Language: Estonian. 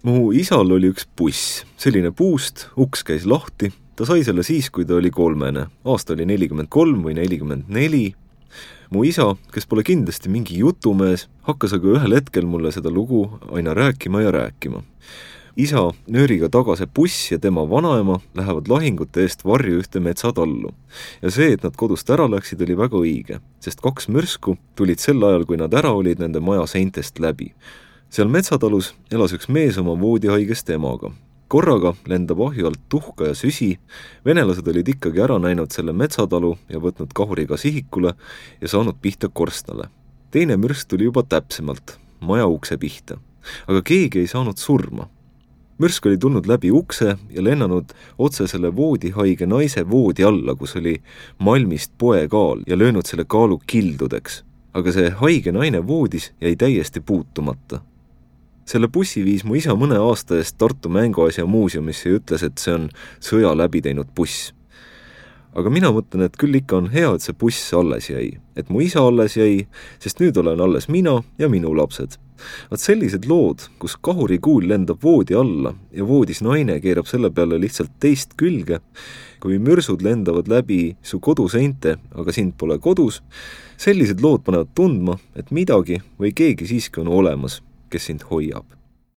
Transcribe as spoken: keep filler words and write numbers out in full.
Mu isal oli üks buss, selline puust, uks käis lahti, ta sai selle siis, kui ta oli kolmene, aasta oli nelikümmend kolm või nelikümmend neli. Mu isa, kes pole kindlasti mingi jutumees, hakkas aga ühel hetkel mulle seda lugu aina rääkima ja rääkima. Isa nööriga tagase buss ja tema vanaema lähevad lahingute eest varju ühte metsatallu. Ja see, et nad kodust ära läksid, oli väga õige, sest kaks mürsku tulid sel ajal, kui nad ära olid nende maja seintest läbi. Seal metsatalus elas üks mees oma voodihaigest emaga. Korraga lendab ahju alt tuhka ja süsi, venelased olid ikkagi ära näinud selle metsatalu ja võtnud kahuriga sihikule ja saanud pihta korstnale. Teine mürsk tuli juba täpsemalt, maja ukse pihta, aga keegi ei saanud surma. Mürsk oli tulnud läbi ukse ja lennanud otse selle voodihaige naise voodi alla, kus oli malmist poekaal ja löönud selle kaalu kildudeks. Aga see haige naine voodis jäi täiesti puutumata. Selle bussi viis mu isa mõne aasta eest Tartu Mänguasja muuseumisse ja ütles, et see on sõja läbi teinud buss. Aga mina mõtlen, et küll ikka on hea, et see buss alles jäi. Et mu isa alles jäi, sest nüüd olen alles mina ja minu lapsed. Vaat sellised lood, kus kahurikuul lendab voodi alla ja voodis naine keerab selle peale lihtsalt teist külge, kui mürsud lendavad läbi su koduseinte, aga sind pole kodus, sellised lood panevad tundma, et midagi või keegi siiski on olemas, kes sind hoiab.